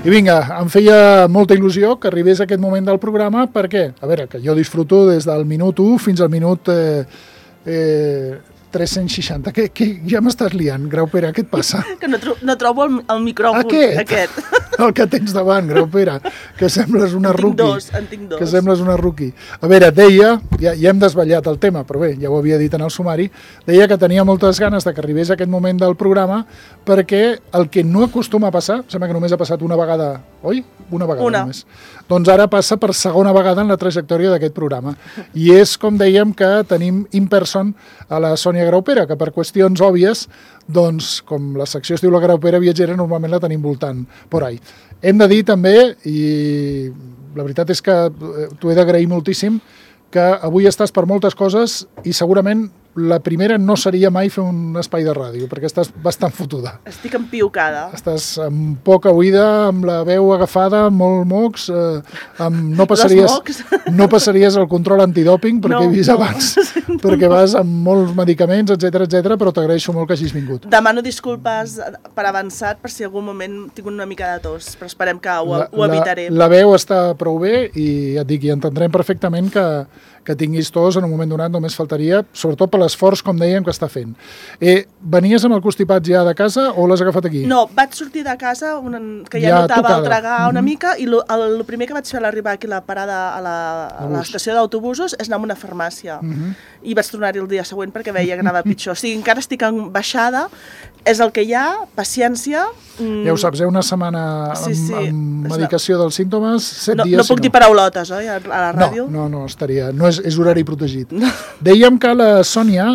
I vinga, em feia molta il·lusió que arribés aquest moment del programa perquè, a veure, que jo disfruto des del minut 1 fins al minut 360. Que ja m'estàs liant, Grau Pere, què et passa? Que no trobo el micròfon aquest. El que tens davant, Grau Pere, que sembles una rookie. En tinc dos. Que sembles una rookie. A veure, deia, ja hem desvetllat el tema, però bé, ja ho havia dit en el sumari, deia que tenia moltes ganes de que arribés aquest moment del programa perquè el que no acostuma a passar, sembla que només ha passat una vegada, oi? Una vegada només. Doncs ara passa per segona vegada en la trajectòria d'aquest programa. I és, com dèiem, que tenim in person a la Sònia Graupera, que per qüestions òbvies, doncs, com la secció es diu la Graupera viatgera, normalment la tenim voltant por ahí. Hem de dir també, i la veritat és que t'ho he d'agrair moltíssim, que avui estàs per moltes coses i segurament la primera no seria mai fer un espai de ràdio, perquè estàs bastant fotuda. Estic empiucada. Estàs amb poca oïda, amb la veu agafada, molt mocs, no passaries el control antidòping, perquè he vist abans, perquè vas amb molts medicaments, etc, però t'agraeixo molt que hagis vingut. Demano disculpes per avançat per si algun moment tinc una mica de tos, però esperem que ho evitaré. La veu està prou bé i ja et dic, i entendrem perfectament que tinguis tos en un moment donat, només faltaria, sobretot per l'esforç, com dèiem, que està fent. Venies amb el constipat ja de casa o l'has agafat aquí? No, vaig sortir de casa, que ja notava el tragar una mica, i el primer que vaig fer a l'arribar aquí a la parada a l'estació d'autobusos és anar a una farmàcia. I vaig tornar-hi el dia següent perquè veia que anava pitjor. O sigui, encara estic en baixada, és el que hi ha, paciència. Ja ho saps, una setmana amb medicació dels símptomes, 7 dies... No puc dir paraulotes, oi, a la ràdio? No, estaria... No és horari protegit. Dèiem que la Sònia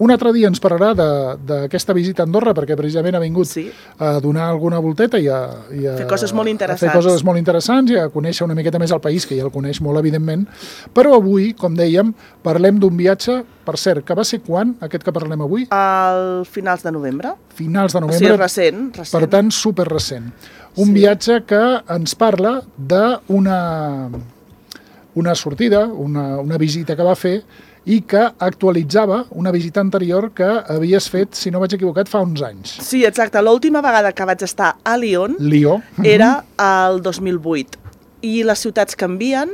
un altre dia ens parlarà d'aquesta visita a Andorra, perquè precisament ha vingut a donar alguna volteta i a fer coses molt interessants. A fer coses molt interessants i a conèixer una miqueta més el país, que ja el coneix molt, evidentment. Però avui, com dèiem, parlem d'un viatge, per cert, que va ser quan, aquest que parlem avui? Al finals de novembre. Finals de novembre. O sigui, recent. Per tant, superrecent. Un viatge que ens parla d'una sortida, una visita que va fer i que actualitzava una visita anterior que havies fet, si no vaig equivocat, fa uns anys. Sí, exacte. L'última vegada que vaig estar a Lió era el 2008. I les ciutats canvien,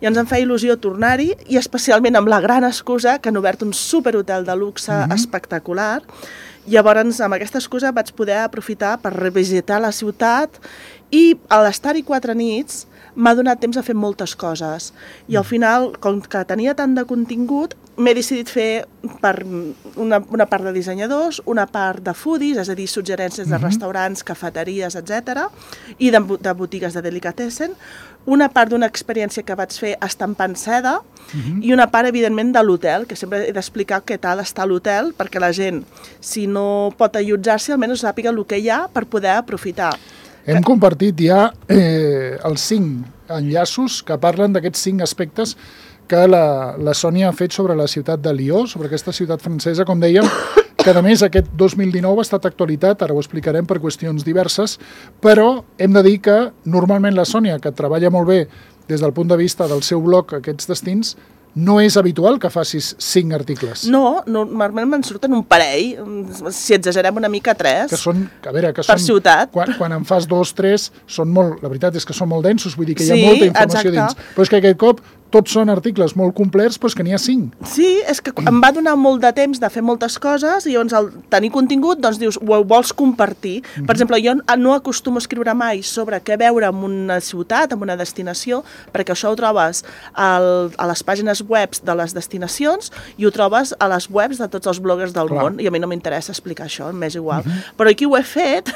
i ens en feia il·lusió tornar-hi, i especialment amb la gran excusa que han obert un superhotel de luxe espectacular. Llavors, amb aquesta excusa vaig poder aprofitar per revisitar la ciutat, i a l'estar-hi 4 nits m'ha donat temps a fer moltes coses. I al final, com que tenia tant de contingut, m'he decidit fer per una part de dissenyadors, una part de foodies, és a dir, suggerències de restaurants, cafeteries, etc, i de botigues de delicatessen, una part d'una experiència que vaig fer estampant seda, i una part, evidentment, de l'hotel, que sempre he d'explicar què tal està l'hotel, perquè la gent, si no pot allotjar-s'hi, almenys sàpiga el que hi ha per poder aprofitar. Hem compartit ja els 5 enllaços que parlen d'aquests 5 aspectes que la Sònia ha fet sobre la ciutat de Lió, sobre aquesta ciutat francesa, com dèiem, que a més aquest 2019 ha estat actualitat, ara ho explicarem per qüestions diverses, però hem de dir que normalment la Sònia, que treballa molt bé des del punt de vista del seu blog aquests destins, no és habitual que facis 5 articles. No, normalment me'n surten un parell, si exagerem una mica 3, que són, per ciutat. Quan en fas 2, 3, són molt, la veritat és que són molt densos, vull dir que hi ha molta informació dins. Però és que aquest cop tots són articles molt complets, però és que n'hi ha 5. Sí, és que em va donar molt de temps de fer moltes coses i llavors al tenir contingut doncs dius, ho vols compartir. Per exemple, jo no acostumo a escriure mai sobre què veure en una ciutat, en una destinació, perquè això ho trobes a les pàgines webs de les destinacions i ho trobes a les webs de tots els bloggers del món, i a mi no m'interessa explicar això, m'és igual. Però aquí ho he fet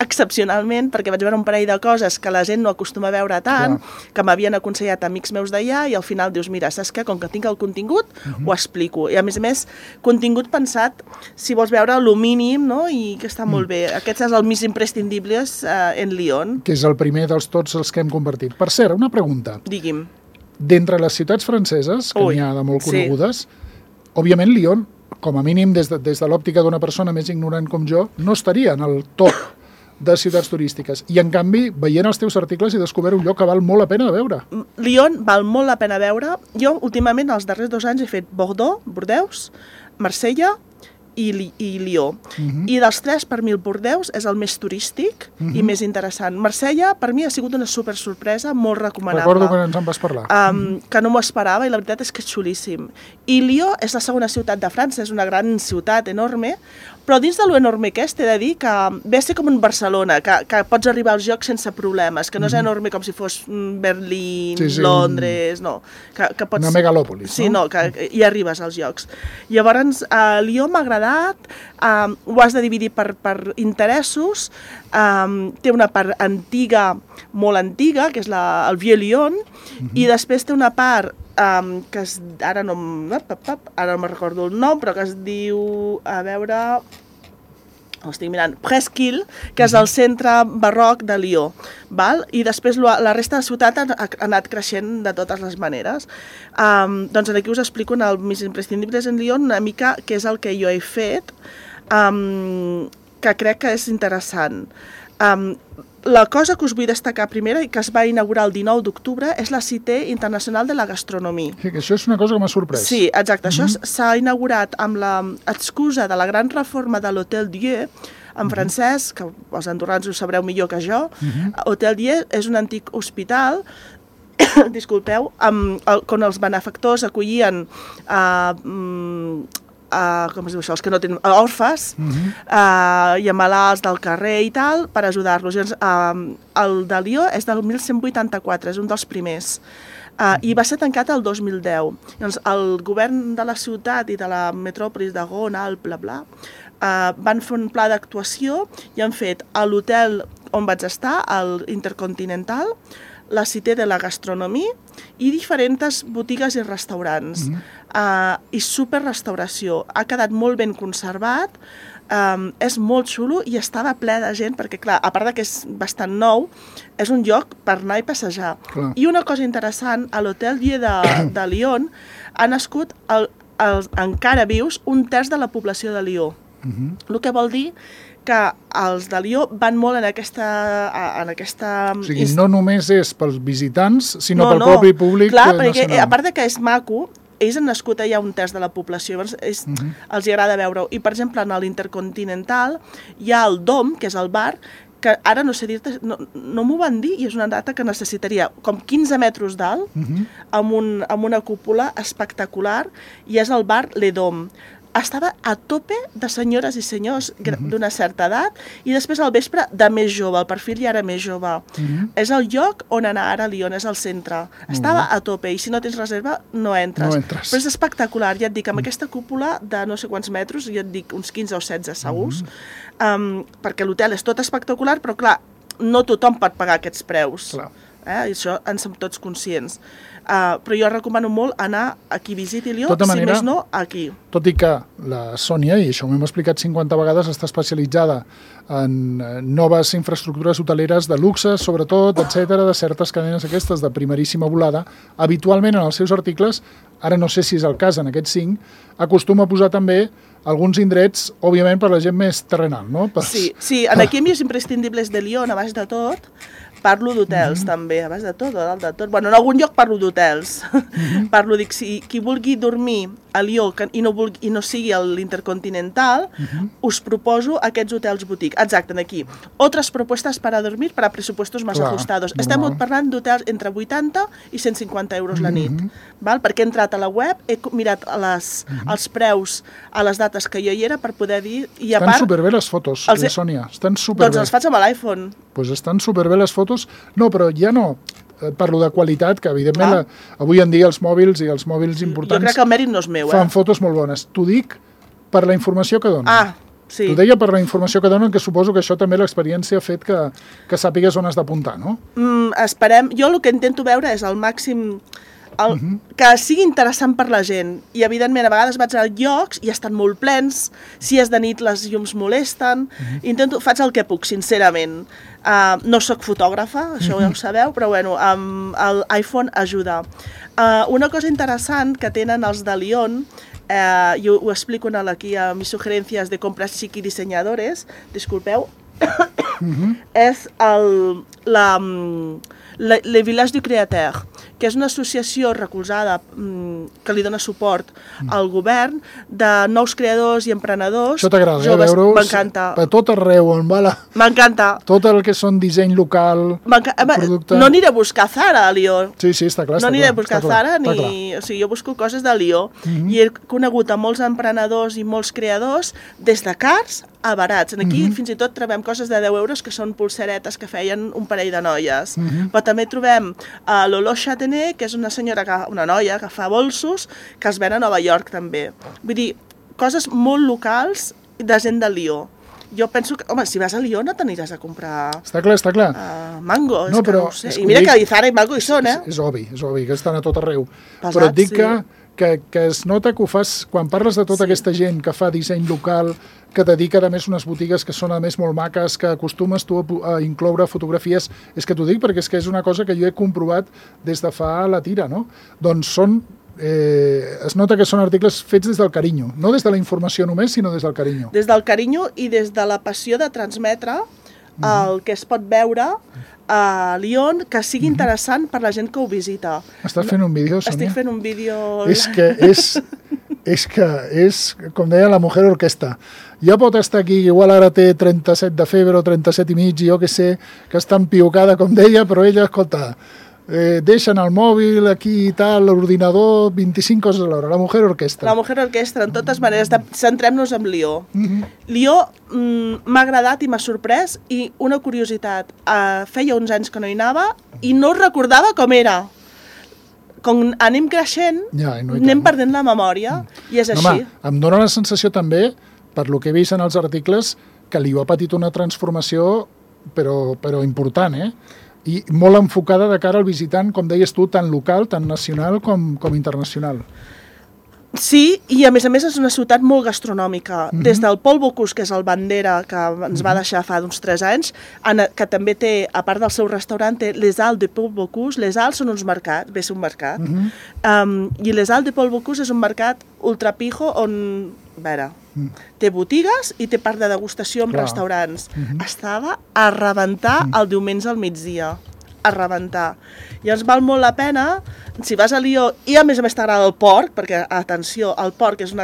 excepcionalment perquè vaig veure un parell de coses que la gent no acostuma a veure tant, que m'havien aconsellat amics meus d'allà, i al final dius, mira, saps què? Com que tinc el contingut, ho explico. I a més, contingut pensat, si vols veure lo mínim, no? I que està molt bé. Aquest és el més imprescindible en Lió. Que és el primer dels tots els que hem compartit. Per cert, una pregunta. Digui'm. D'entre les ciutats franceses, que n'hi ha de molt conegudes, òbviament Lió, com a mínim des de l'òptica d'una persona més ignorant com jo, no estaria en el top de ciutats turístiques. I, en canvi, veient els teus articles he descobert un lloc que val molt la pena de veure. Lió val molt la pena veure. Jo, últimament, els darrers 2 anys he fet Bordeaux, Marsella i Lió. I dels tres, per mi el Bordeus és el més turístic i més interessant. Marsella, per mi, ha sigut una super sorpresa, molt recomanable. Recordo que ens en vas parlar. Que no m'ho esperava i la veritat és que és xulíssim. I Lió és la segona ciutat de França, és una gran ciutat enorme, però dins de lo enorme que és, t'he de dir que ve a ser com un Barcelona, que pots arribar als llocs sense problemes, que no és enorme com si fos Berlín, Londres, no. Que pots... Una megalòpolis, no? Sí, no, que hi arribes als llocs. Llavors, Lió m'ha agradat, ho has de dividir per interessos, té una part antiga, molt antiga, que és el Vieux Lyon, i després té una part que ara no me'n recordo el nom, però que es diu, a veure, ho estic mirant, Presqu'île, que és el centre barroc de Lió, val? I després la resta de la ciutat ha anat creixent de totes les maneres. Doncs aquí us explico en el Mis imprescindibles en Lió una mica què és el que jo he fet, que crec que és interessant. La cosa que us vull destacar primera i que es va inaugurar el 19 d'octubre és la Cité Internacional de la Gastronomia. Sí, que això és una cosa que m'ha sorprès. Sí, exacte. Això s'ha inaugurat amb l'excusa de la gran reforma de l'Hôtel Dieu, en francès, que els andorrans ho sabreu millor que jo. Hôtel Dieu és un antic hospital, disculpeu, on els benefactors acollien com es diu això, els que no tenen orfes i a malalts del carrer i tal, per ajudar-los. El de Lió és del 1184, és un dels primers, i va ser tancat el 2010. Llavors, el govern de la ciutat i de la metròpolis de Rhône, Alpes, bla, van fer un pla d'actuació i han fet a l'hotel on vaig estar, el Intercontinental, la Cité de la Gastronomia i diferents botigues i restaurants. I superrestauració. Ha quedat molt ben conservat, és molt xulo i estava ple de gent, perquè clar, a part que és bastant nou, és un lloc per anar i passejar. Clar. I una cosa interessant, a l'Hôtel Dieu de Lyon ha nascut encara vius un terç de la població de Lió. El que vol dir que els de Lió van molt en aquesta... O sigui, no només és pels visitants, sinó pel propi públic nacional. Clar, perquè a part que és maco, ells han nascut allà un terç de la població, llavors els agrada veure-ho. I, per exemple, en l'Intercontinental hi ha el Dom, que és el bar, que ara no sé dir-te, no m'ho van dir, i és una data que necessitaria com 15 metres d'alt, amb una cúpula espectacular, i és el bar Le Dom. Estava a tope de senyores i senyors d'una certa edat i després al vespre de més jove, el perfil ja era més jove. És el lloc on anar ara a Lyon, és el centre. Estava a tope i si no tens reserva no entres. Però és espectacular, ja et dic, amb aquesta cúpula de no sé quants metres, ja et dic uns 15 o 16 segurs, perquè l'hotel és tot espectacular, però clar, no tothom pot pagar aquests preus. I això en som tots conscients. Però jo recomano molt anar a qui visiti Lió, si més no, aquí. Tot i que la Sònia, i això m'hem explicat 50 vegades, està especialitzada en noves infraestructures hoteleres de luxe, sobretot, etc, de certes cadenes aquestes de primeríssima volada. Habitualment en els seus articles, ara no sé si és el cas en aquests 5, acostuma a posar també alguns indrets, òbviament, per la gent més terrenal, no? Sí, aquí Mis imprescindibles de Lyon, a baix de tot, parlo d'hotels també, a baix de tot, o dalt de tot. Bueno, en algun lloc parlo d'hotels. Parlo, dic, si qui vulgui dormir a Lió i no sigui l'Intercontinental, us proposo aquests hotels boutique. Exacte, aquí. Otras propuestas para dormir para presupuestos más ajustados. Estem parlant d'hotels entre 80 i 150 euros la nit. Perquè he entrat a la web, he mirat els preus a les dates que jo hi era per poder dir... Estan superbé les fotos, Sònia. Estan superbé. Doncs els faig amb l'iPhone. Doncs estan superbé les fotos. No, però ja no parlo de qualitat, que evidentment avui en dia els mòbils i els mòbils importants... Jo crec que el mèrit no és meu, fan fotos molt bones. T'ho dic per la informació que donen. Sí. T'ho deia per la informació que donen, que suposo que això també l'experiència ha fet que sàpigues on has d'apuntar, no? Esperem. Jo el que intento veure és el màxim... que sigui interessant per la gent. I, evidentment, a vegades vaig a llocs i estan molt plens, si és de nit les llums molesten, faig el que puc, sincerament. No soc fotògrafa, això ja ho sabeu, però bueno, l'iPhone ajuda. Una cosa interessant que tenen els de Lyon, jo ho explico aquí a mis sugerencias de compras chic i dissenyadores, disculpeu, és le Village du Créateur. que és una associació recolzada que li dona suport al govern de nous creadors i emprenedors. Això t'agrada, veure-us per tot arreu on va M'encanta. Tot el que són disseny local, producte... No aniré a buscar Zara a Lió. Sí, està clar. No aniré a buscar Zara, o sigui, jo busco coses de Lió. I he conegut a molts emprenedors i molts creadors des de cars a barats. Aquí fins i tot trobem coses de 10 euros que són pulseretes que feien un parell de noies. Però també trobem a Lolo Chatenet, que és una noia que fa bolsos, que els ven a Nova York també. Vull dir, coses molt locals de gent de Lió. Jo penso que, home, si vas a Lió no t'aniràs a comprar... Està clar. Mango, és que no ho sé. I mira que Zara i Mango hi són, És obvi que estan a tot arreu. Però et dic que es nota que ho fas, quan parles de tota aquesta gent que fa disseny local, que dedica a més unes botigues que són a més molt maques, que acostumes tu a incloure fotografies, és que t'ho dic perquè és una cosa que jo he comprovat des de fa la tira, no? Doncs són... es nota que són articles fets des del carinyo, no des de la informació només, sinó des del carinyo. Des del carinyo i des de la passió de transmetre el que es pot veure a Lyon, que sigui interessant per la gent que ho visita. Estàs fent un vídeo, Sònia? Estic fent un vídeo... És que és, com deia, la mujer orquesta. Ja pot estar aquí, igual ara té 37 de febre o 37 i mig, jo que sé, que està empiocada, com deia, però ella, escolta... deixen el mòbil aquí i tal, l'ordinador, 25 coses a l'hora. La mujer orquestra. La mujer orquestra, en totes maneres. Centrem-nos en Lió. Lió m'ha agradat i m'ha sorprès, i una curiositat, feia uns anys que no hi anava i no recordava com era. Com anem creixent, anem perdent la memòria, i és així. Home, em dóna la sensació també, per lo que he vist en els articles, que Lió ha patit una transformació, però important, i molt enfocada de cara al visitant, com deies tu, tant local, tant nacional com internacional. Sí, i a més és una ciutat molt gastronòmica. Des del Paul Bocuse, que és el bandera que ens va deixar fa uns 3 anys, que també té, a part del seu restaurant, té Les Halles de Paul Bocuse. Les Halles són uns mercats, ve a ser un mercat, i Les Halles de Paul Bocuse és un mercat ultrapijo on, a veure, té botigues i té part de degustació amb restaurants. Estava a rebentar el diumenge al migdia. A rebentar. I ens val molt la pena, si vas a Lió, i a més t'agrada el porc, perquè, atenció, el porc és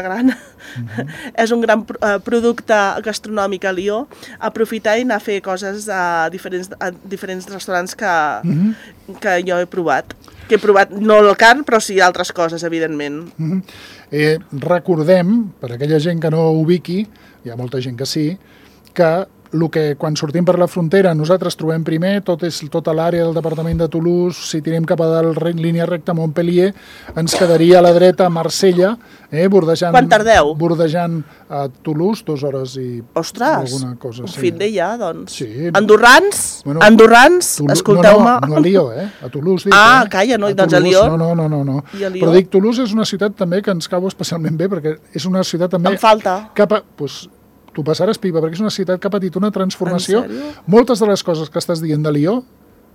és un gran producte gastronòmic a Lió, aprofitar i anar a fer coses a diferents restaurants que jo he provat. Que he provat, no el carn, però sí altres coses, evidentment. Recordem, per aquella gent que no ho ubiqui, hi ha molta gent que sí, que quan sortim per la frontera nosaltres trobem primer tota l'àrea del departament de Toulouse, si tirem cap a dalt línia recta a Montpellier, ens quedaria a la dreta Marsella, bordejant... Quan tardeu? Bordejant a Toulouse, 2 hores i alguna cosa. Un fin de ja, doncs. Sí. Andorrans, escolteu-me. No a Lió, a Toulouse. Calla, no, doncs a Lió. No. Però dic, Toulouse és una ciutat també que ens cau especialment bé, perquè és una ciutat també... Em falta. Tu passaràs pipa, perquè és una ciutat que ha patit una transformació. Moltes de les coses que estàs dient de Lió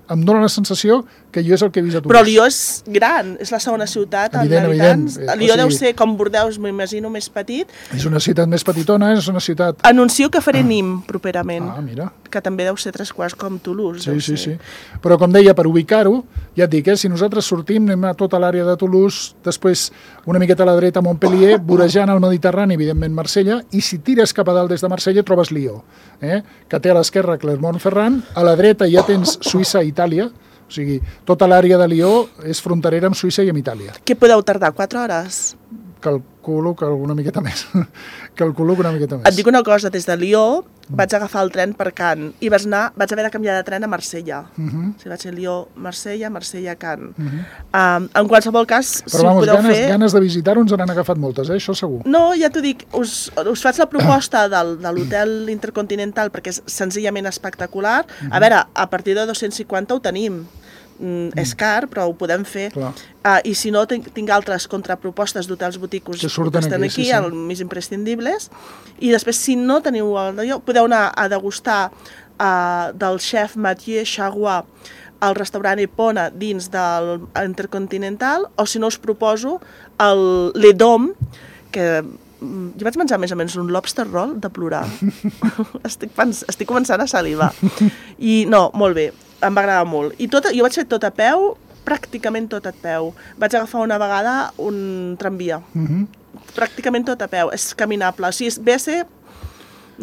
em dóna la sensació que jo és el que he vist a Toulouse. Però Lió és gran, és la segona ciutat en habitants. Lió deu ser, com Bordeus, m'imagino, més petit. És una ciutat més petitona, és una ciutat... Anuncio que faré Nîmes properament. Mira. Que també deu ser 3 quarts com Toulouse. Sí. Però com deia, per ubicar-ho, ja et dic, si nosaltres sortim, anem a tota l'àrea de Toulouse, després una miqueta a la dreta a Montpellier, vorejant el Mediterrani, evidentment Marsella, i si tires cap a dalt des de Marsella trobes Lió, que té a l'esquerra Clermont-Ferrand, a la dreta ja tens Suïssa i Itàlia, o sigui, tota l'àrea de Lió és fronterera amb Suïssa i amb Itàlia. Què podeu tardar, 4 hores? Calculo que una miqueta més. Et dic una cosa, des de Lió vaig agafar el tren per Cannes i vaig haver de canviar de tren a Marsella. Vaig ser Lió, Marsella, Cannes. En qualsevol cas, si ho podeu fer... Però ganes de visitar-ho ens n'han agafat moltes, això segur. No, ja t'ho dic, us faig la proposta de l'hotel Intercontinental perquè és senzillament espectacular. A veure, a partir de 250 ho tenim. És car, però ho podem fer. I si no, tinc altres contrapropostes d'hotels boticos que estan aquí, els més imprescindibles. I després, si no teniu podeu anar a degustar del chef Mathieu Charrois al restaurant Epona dins de l'Intercontinental, o si no us proposo el Le Dôme, que jo vaig menjar més o menys un lobster roll de plorar. Estic començant a salivar. I no, molt bé. Em va agradar molt. I jo vaig fer tot a peu, pràcticament tot a peu. Vaig agafar una vegada un tramvia. Pràcticament tot a peu. És caminable. O sigui, BC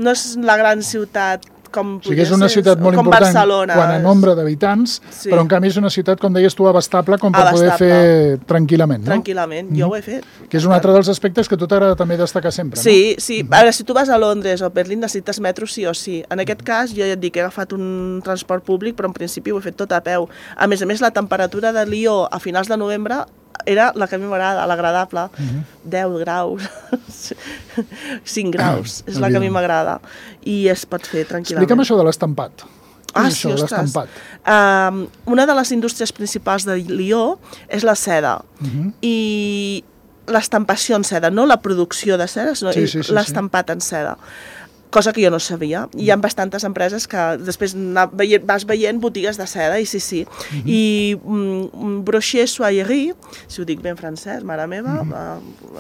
no és la gran ciutat com o sigui, és una ciutat molt important quant a nombre d'habitants, però en canvi és una ciutat, com deies tu, abastable com per poder fer tranquil·lament, no? Tranquil·lament, jo ho he fet. Que és un altre dels aspectes que a tu t'agrada també destacar sempre, no? Sí, sí. A veure, si tu vas a Londres o a Berlín necessites metro sí o sí. En aquest cas, jo ja et dic, he agafat un transport públic, però en principi ho he fet tot a peu. A més, la temperatura de Lió a finals de novembre era la que a mi m'agrada, l'agradable. 10 graus, 5 graus, és la que a mi m'agrada. I es pot fer tranquil·lament. Explica'm això de l'estampat. Sí, ostres. Una de les indústries principals de Lió és la seda. I l'estampació en seda, no la producció de seda, sinó l'estampat en seda. Cosa que jo no sabia. Hi ha bastantes empreses que després vas veient botigues de seda, i sí. I Brochet Soierie, si ho dic ben francès, mare meva,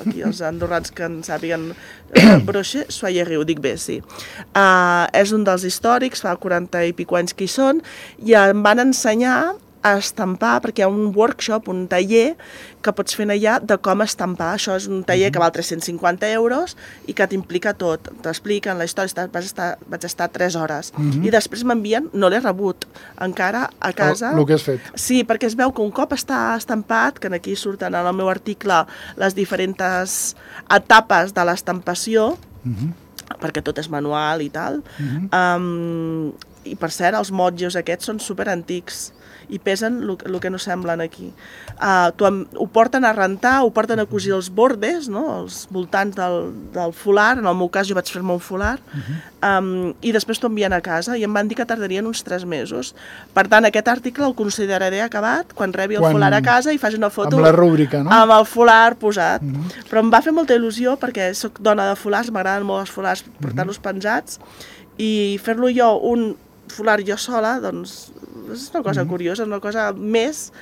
aquí els andorrans que en sàpiguen, Brochet Soierie, ho dic bé, sí. És un dels històrics, fa 40 i pico anys que hi són, i em van ensenyar a estampar, perquè hi ha un workshop, un taller que pots fer allà de com estampar. Això és un taller que val 350 euros i que t'implica tot. T'expliquen la història, vaig estar 3 hores. I després m'envien, no l'he rebut encara a casa. El que has fet. Sí, perquè es veu que un cop està estampat, que aquí surten en el meu article les diferents etapes de l'estampació, perquè tot és manual i tal, i per cert, els motllors aquests són superantics i pesen el que no semblen aquí. Ho porten a rentar, ho porten a cosir els bordes, els voltants del folar, en el meu cas jo vaig fer-me un folar, i després t'ho envien a casa, i em van dir que tardarien uns 3 mesos. Per tant, aquest article el consideraré acabat quan rebi el folar a casa i faci una foto amb la rúbrica, no? Amb el folar posat. Però em va fer molta il·lusió perquè soc dona de folars, m'agraden molt els folars, portar-los penjats, i fer-lo jo un folar jo sola, doncs és una cosa curiosa, una cosa més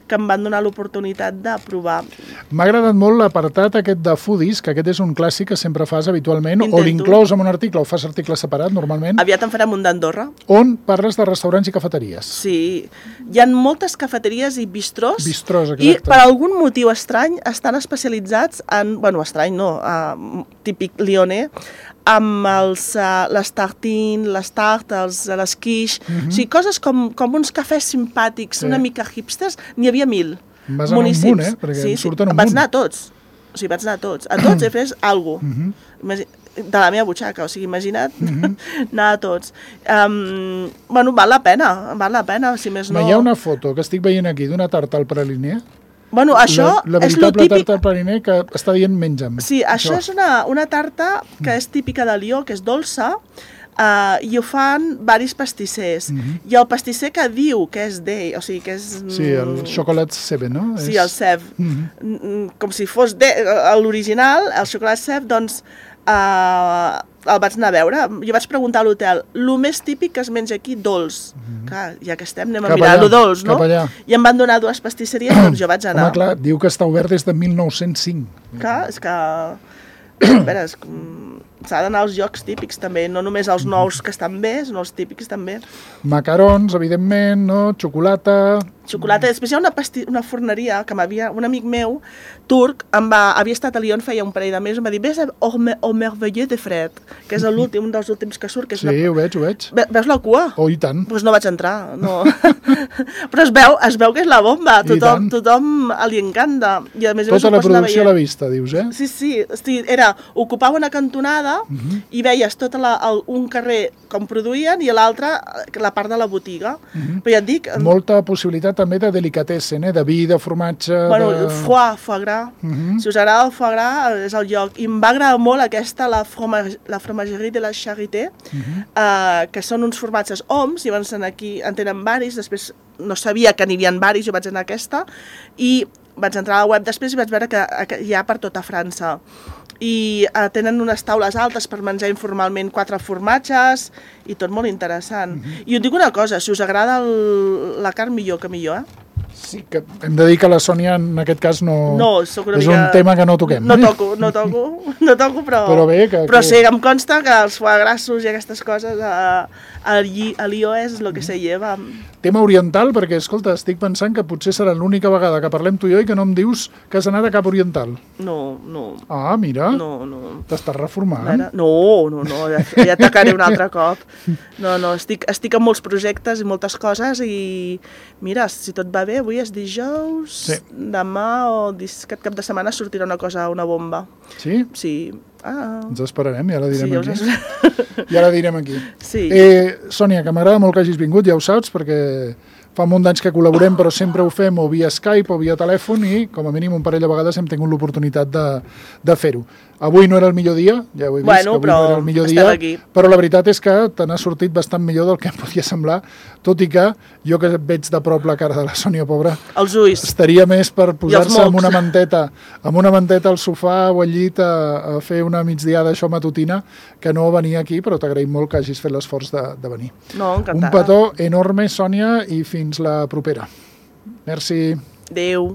que em van donar l'oportunitat de provar. M'ha agradat molt l'apartat aquest de foodies, que aquest és un clàssic que sempre fas habitualment, o l'inclous en un article, o fas article separat normalment. Aviat en farem un d'Andorra. On parles de restaurants i cafeteries. Sí, hi ha moltes cafeteries i bistrós. Bistrós, exacte. I per algun motiu estrany estan especialitzats en, bueno, estrany no, típic lionès, amb les tartines, les tartes, les quiche, o sigui, coses com uns cafès simpàtics, una mica hipsters, n'hi havia 1000 municipis. Vas anar un munt, perquè em surten un munt. Vaig anar a tots, o sigui, vaig anar a tots. A tots he fet alguna cosa, de la meva butxaca, o sigui, imagina't anar a tots. Bueno, val la pena, si més no. Hi ha una foto que estic veient aquí d'una tarta al praliner. Bueno, això la és lo típic... La veritable tarta al praliner que està dient menja'm. Sí, això és una tarta que és típica de Lió, que és dolça, i ho fan varis pastissers. I el pastisser que diu que és d'ell, o sigui, que és... Sí, el Chocolat Sève, no? Sí, el Sève. Com si fos l'original, el Chocolat Sève, doncs el vaig anar a veure. Jo vaig preguntar a l'hotel, el més típic que es menja aquí, dolç. Clar, ja que estem, anem a mirar lo dolç, no? I em van donar 2 pastisseries, doncs jo vaig anar. Home, clar, diu que està obert des de 1905. Clar, és que... A veure, s'ha d'anar als llocs típics també, no només els nous que estan bé, sinó els típics també. Macarons, evidentment, no? Xocolata... Després hi ha una forneria que un amic meu, turc, havia estat a Lyon feia un parell de mesos, em va dir, ves au Merveilleux de Fred, que és un dels últims que surt. Sí, ho veig. Veus la cua? Oh, i tant. Doncs no vaig entrar, no. Però es veu que és la bomba, tothom li encanta. Tota la producció a la vista, dius, eh? Sí, ocupava una cantonada i veies tot un carrer com produïen i l'altre la part de la botiga. Però ja et dic... Molta possibilitat també de delicatessen, de vi, de formatge... Bueno, foie gras. Si us agrada el foie gras, és el lloc. I em va agradar molt aquesta, la fromagerie de la Charité, que són uns formatges oms, i aquí en tenen varis, després no sabia que n'hi havia varis, jo vaig anar a aquesta, i vaig entrar a la web després i vaig veure que hi ha per tota França. I tenen unes taules altes per menjar informalment 4 formatges i tot molt interessant. I us dic una cosa, si us agrada la carn, millor que millor, Sí, que hem de dir que la Sònia en aquest cas no és un tema que no toquem. No toco, però sí, em consta que els foie grassos i aquestes coses a l'IO és el que se lleva. Tema oriental, perquè, escolta, estic pensant que potser serà l'única vegada que parlem tu i jo i que no em dius que has anat a cap oriental. No. Ah, mira. No. T'estàs reformant? No, ja atacaré un altre cop. No, estic en molts projectes i moltes coses i mira, si tot va bé, avui és dijous, demà o aquest cap de setmana sortirà una cosa, una bomba. Sí? Sí. Ens esperarem, ja la direm aquí. Ja la direm aquí. Sí. Sònia, que m'agrada molt que hagis vingut, ja ho saps, perquè fa un munt d'anys que col·laborem, però sempre ho fem o via Skype o via telèfon i, com a mínim, un parell de vegades hem tingut l'oportunitat de fer-ho. Avui no era el millor dia, ja ho he vist, que avui no era el millor dia, però la veritat és que te n'ha sortit bastant millor del que em podia semblar, tot i que jo que veig de prop la cara de la Sònia, pobra, els ulls, estaria més per posar-se amb una manteta al sofà o al llit a fer una migdiada això matutina, que no venir aquí, però t'agraïm molt que hagis fet l'esforç de venir. No, encantada. Un petó enorme, Sònia, i fins la propera. Merci. Adéu.